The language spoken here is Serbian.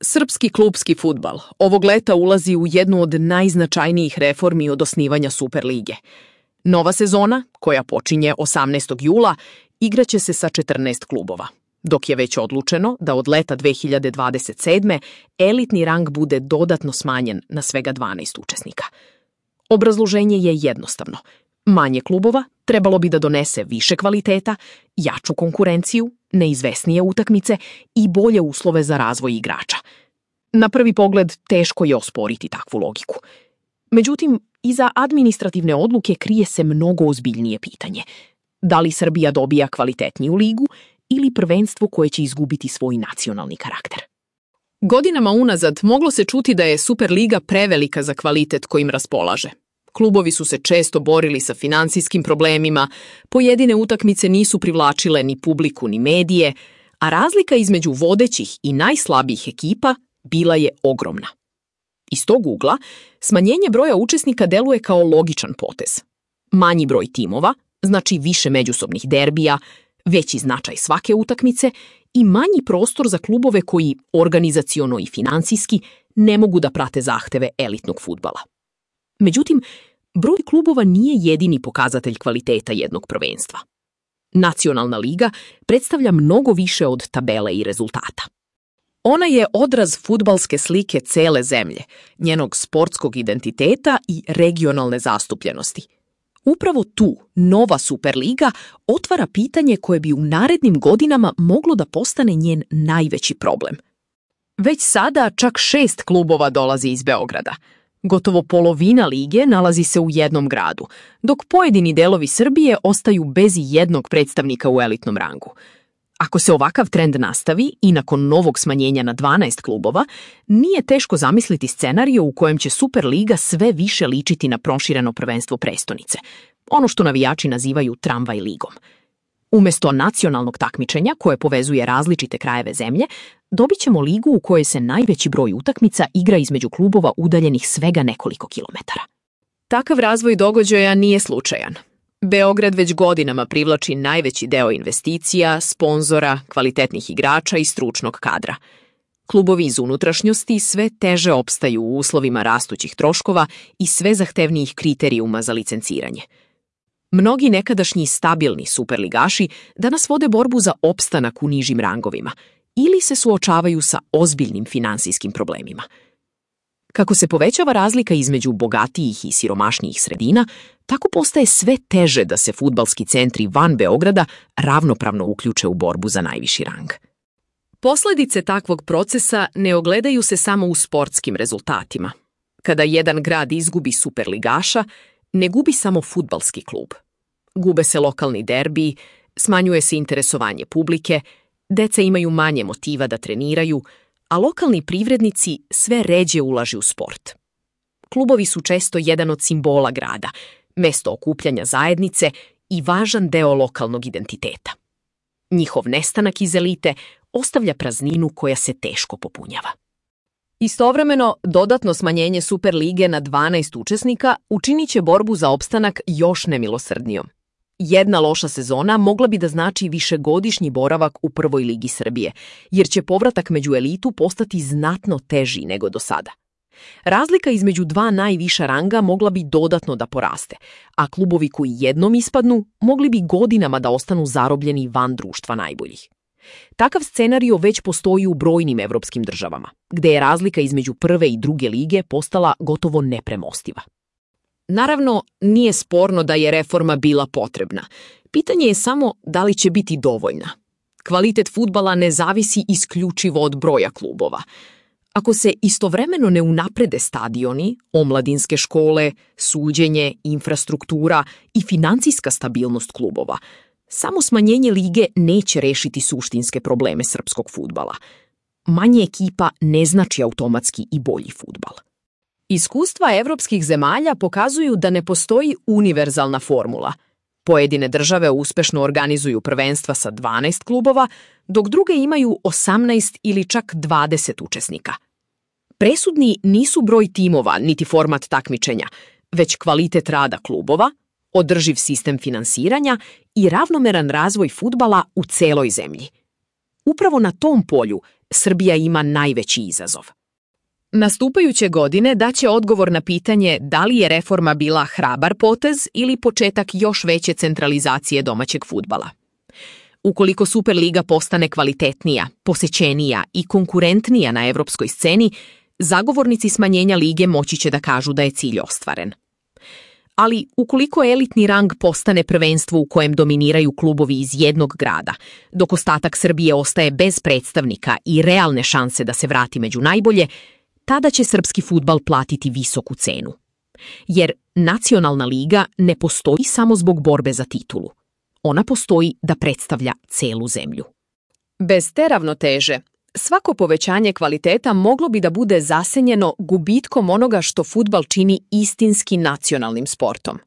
Srpski klupski fudbal ovog leta ulazi u jednu od najznačajnijih reformi od osnivanja Superlige. Nova sezona, koja počinje 18. jula, igraće se sa 14 klubova, dok je već odlučeno da od leta 2027. elitni rang bude dodatno smanjen na svega 12 učesnika. Obrazloženje je jednostavno. Manje klubova trebalo bi da donese više kvaliteta, jaču konkurenciju, neizvesnije utakmice i bolje uslove za razvoj igrača. Na prvi pogled teško je osporiti takvu logiku. Međutim, iza administrativne odluke krije se mnogo ozbiljnije pitanje. Da li Srbija dobija kvalitetniju ligu ili prvenstvo koje će izgubiti svoj nacionalni karakter? Godinama unazad moglo se čuti da je Superliga prevelika za kvalitet kojim raspolaže. Klubovi su se često borili sa finansijskim problemima, pojedine utakmice nisu privlačile ni publiku ni medije, a razlika između vodećih i najslabijih ekipa bila je ogromna. Iz tog ugla, smanjenje broja učesnika deluje kao logičan potez. Manji broj timova znači više međusobnih derbija, veći značaj svake utakmice i manji prostor za klubove koji organizaciono i finansijski ne mogu da prate zahteve elitnog fudbala. Međutim, broj klubova nije jedini pokazatelj kvaliteta jednog prvenstva. Nacionalna liga predstavlja mnogo više od tabele i rezultata. Ona je odraz fudbalske slike cele zemlje, njenog sportskog identiteta i regionalne zastupljenosti. Upravo tu nova Superliga otvara pitanje koje bi u narednim godinama moglo da postane njen najveći problem. Već sada čak 6 klubova dolazi iz Beograda. Gotovo polovina lige nalazi se u jednom gradu, dok pojedini delovi Srbije ostaju bez jednog predstavnika u elitnom rangu. Ako se ovakav trend nastavi i nakon novog smanjenja na 12 klubova, nije teško zamisliti scenarijo u kojem će Superliga sve više ličiti na prošireno prvenstvo prestonice, ono što navijači nazivaju tramvaj ligom. Umesto nacionalnog takmičenja koje povezuje različite krajeve zemlje, dobit ćemo ligu u kojoj se najveći broj utakmica igra između klubova udaljenih svega nekoliko kilometara. Takav razvoj događaja nije slučajan. Beograd već godinama privlači najveći deo investicija, sponzora, kvalitetnih igrača i stručnog kadra. Klubovi iz unutrašnjosti sve teže opstaju u uslovima rastućih troškova i sve zahtevnijih kriterijuma za licenciranje. Mnogi nekadašnji stabilni superligaši danas vode borbu za opstanak u nižim rangovima ili se suočavaju sa ozbiljnim finansijskim problemima. Kako se povećava razlika između bogatijih i siromašnijih sredina, tako postaje sve teže da se fudbalski centri van Beograda ravnopravno uključe u borbu za najviši rang. Posledice takvog procesa ne ogledaju se samo u sportskim rezultatima. Kada jedan grad izgubi superligaša, ne gubi samo fudbalski klub. Gube se lokalni derbiji, smanjuje se interesovanje publike, deca imaju manje motiva da treniraju, a lokalni privrednici sve ređe ulažu u sport. Klubovi su često jedan od simbola grada, mesto okupljanja zajednice i važan deo lokalnog identiteta. Njihov nestanak iz elite ostavlja prazninu koja se teško popunjava. Istovremeno, dodatno smanjenje Superlige na 12 učesnika učinit će borbu za opstanak još nemilosrdnijom. Jedna loša sezona mogla bi da znači višegodišnji boravak u prvoj ligi Srbije, jer će povratak među elitu postati znatno teži nego do sada. Razlika između dva najviša ranga mogla bi dodatno da poraste, a klubovi koji jednom ispadnu mogli bi godinama da ostanu zarobljeni van društva najboljih. Takav scenario već postoji u brojnim evropskim državama, gde je razlika između prve i druge lige postala gotovo nepremostiva. Naravno, nije sporno da je reforma bila potrebna. Pitanje je samo da li će biti dovoljna. Kvalitet fudbala ne zavisi isključivo od broja klubova. Ako se istovremeno ne unaprede stadioni, omladinske škole, suđenje, infrastruktura i finansijska stabilnost klubova, samo smanjenje lige neće rešiti suštinske probleme srpskog fudbala. Manje ekipa ne znači automatski i bolji fudbal. Iskustva evropskih zemalja pokazuju da ne postoji univerzalna formula. Pojedine države uspešno organizuju prvenstva sa 12 klubova, dok druge imaju 18 ili čak 20 učesnika. Presudni nisu broj timova niti format takmičenja, već kvalitet rada klubova, održiv sistem finansiranja i ravnomeran razvoj fudbala u celoj zemlji. Upravo na tom polju Srbija ima najveći izazov. Nastupajuće godine daće odgovor na pitanje da li je reforma bila hrabar potez ili početak još veće centralizacije domaćeg fudbala. Ukoliko Superliga postane kvalitetnija, posećenija i konkurentnija na evropskoj sceni, zagovornici smanjenja lige moći će da kažu da je cilj ostvaren. Ali ukoliko elitni rang postane prvenstvo u kojem dominiraju klubovi iz jednog grada, dok ostatak Srbije ostaje bez predstavnika i realne šanse da se vrati među najbolje, tada će srpski fudbal platiti visoku cenu. Jer nacionalna liga ne postoji samo zbog borbe za titulu. Ona postoji da predstavlja celu zemlju. Bez te ravnoteže, svako povećanje kvaliteta moglo bi da bude zasenjeno gubitkom onoga što fudbal čini istinski nacionalnim sportom.